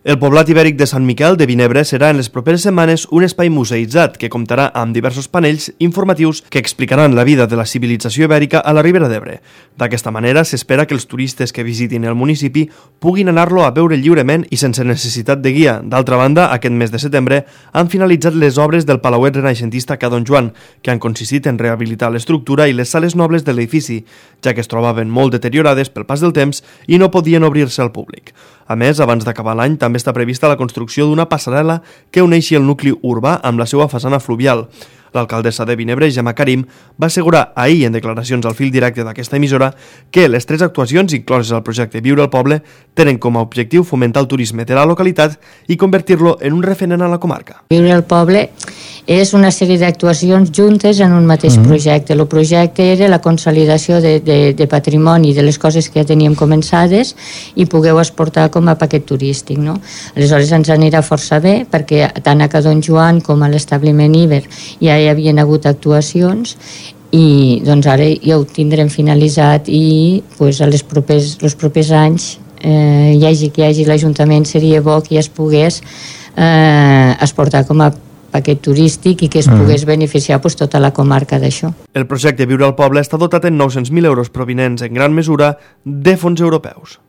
El poblat ibèric de Sant Miquel de Vinebre serà en les properes setmanes un espai museïtzat que comptarà amb diversos panells informatius que explicaran la vida de la civilització ibèrica a la Ribera d'Ebre. D'aquesta manera s'espera que els turistes que visitin el municipi puguin anar-lo a veure lliurement i sense necessitat de guia. D'altra banda, aquest mes de setembre han finalitzat les obres del Palauet renaixentista Ca Don Joan, que han consistit en rehabilitar l'estructura i les sales nobles de l'edifici, ja que es trobaven molt deteriorades pel pas del temps i no podien obrir-se al públic. A més, abans d'acabar l'any, també està prevista la construcció d'una passarel·la que uneixi el nucli urbà amb la seva façana fluvial. L'alcaldessa de Vinebre, Gemma Karim, va assegurar ahir en declaracions al fil directe d'aquesta emissora que les 3 actuacions incloses al projecte Viure al Poble tenen com a objectiu fomentar el turisme de la localitat i convertir-lo en un referent a la comarca. Viure al Poble és una sèrie d'actuacions juntes en un mateix projecte. El projecte era la consolidació de patrimoni de les coses que ja teníem començades i pogueu exportar com a paquet turístic, no? Aleshores ens anirà força bé perquè tant a Ca Don Joan com a l'establiment Iber ja hi havien hagut actuacions i doncs ara ja ho tindrem finalitzat i pues, els propers anys hi hagi l'Ajuntament, seria bo que ja es pogués exportar com a paquet turístic i que es pogués beneficiar pues, tota la comarca d'això. El projecte Viure al Poble està dotat en 900.000 euros provinents en gran mesura de fons europeus.